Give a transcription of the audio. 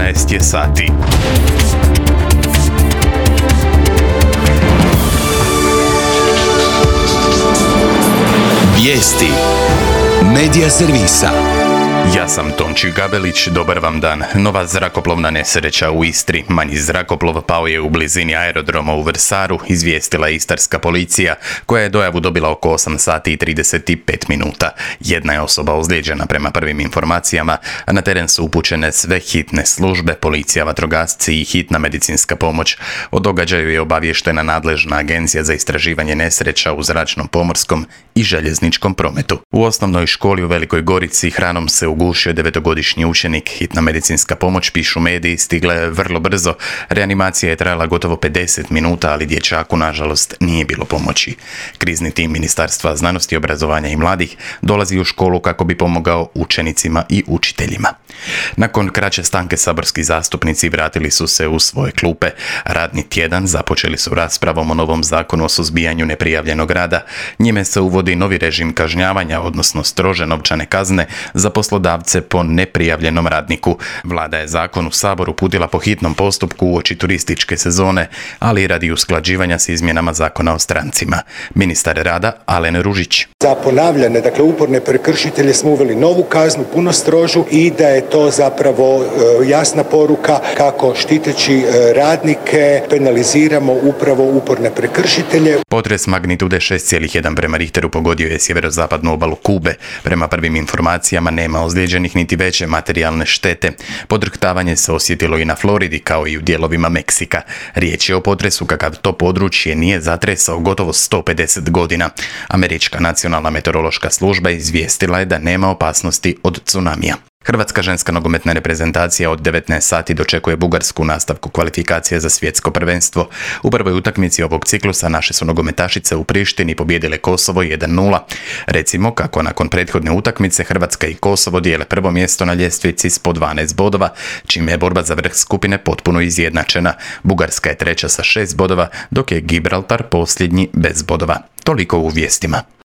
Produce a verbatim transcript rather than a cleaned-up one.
jedanaest je sati. Vijesti Medija servisa. Ja sam Tonči Gabelić, dobar vam dan. Nova zrakoplovna nesreća u Istri. Manji zrakoplov pao je u blizini aerodroma u Vrsaru, izvijestila je istarska policija, koja je dojavu dobila oko osam sati i trideset pet minuta. Jedna je osoba ozlijeđena prema prvim informacijama, a na teren su upućene sve hitne službe, policija, vatrogasci i hitna medicinska pomoć. O događaju je obavještena nadležna agencija za istraživanje nesreća u zračnom, pomorskom i željezničkom prometu. U osnovnoj školi u Velikoj Gorici hranom se ugušio devetogodišnji učenik. Hitna medicinska pomoć, pišu mediji, stigla je vrlo brzo. Reanimacija je trajala gotovo pedeset minuta, ali dječaku nažalost nije bilo pomoći. Krizni tim Ministarstva znanosti, obrazovanja i mladih dolazi u školu kako bi pomogao učenicima i učiteljima. Nakon kraće stanke saborski zastupnici vratili su se u svoje klupe. Radni tjedan započeli su raspravom o novom zakonu o suzbijanju neprijavljenog rada. Njime se uvodi novi režim kažnjavanja, odnosno strože novčane kazne za poslodavce po neprijavljenom radniku. Vlada je zakon u Sabor uputila po hitnom postupku uoči turističke sezone, ali i radi usklađivanja s izmjenama zakona o strancima. Ministar rada Alen Ružić. Za ponavljane, dakle uporne prekršitelje smo uveli novu kaznu, puno strožu, i da je to zapravo e, jasna poruka kako štiteći e, radnike penaliziramo upravo uporne prekršitelje. Potres magnitude šest zarez jedan prema Richteru pogodio je sjeverozapadnu obalu Kube. Prema prvim informacijama nema ozlijeđenih niti veće materijalne štete. Podrhtavanje se osjetilo i na Floridi, kao i u dijelovima Meksika. Riječ je o potresu kakav to područje nije zatresao gotovo sto pedeset godina. Američka nacionalna meteorološka služba izvijestila je da nema opasnosti od tsunamija. Hrvatska ženska nogometna reprezentacija od devetnaest sati dočekuje Bugarsku u nastavku kvalifikacija za svjetsko prvenstvo. U prvoj utakmici ovog ciklusa naše su nogometašice u Prištini pobijedile Kosovo jedan nula. Recimo kako nakon prethodne utakmice Hrvatska i Kosovo dijele prvo mjesto na ljestvici s po dvanaest bodova, čime je borba za vrh skupine potpuno izjednačena. Bugarska je treća sa šest bodova, dok je Gibraltar posljednji bez bodova. Toliko u vijestima.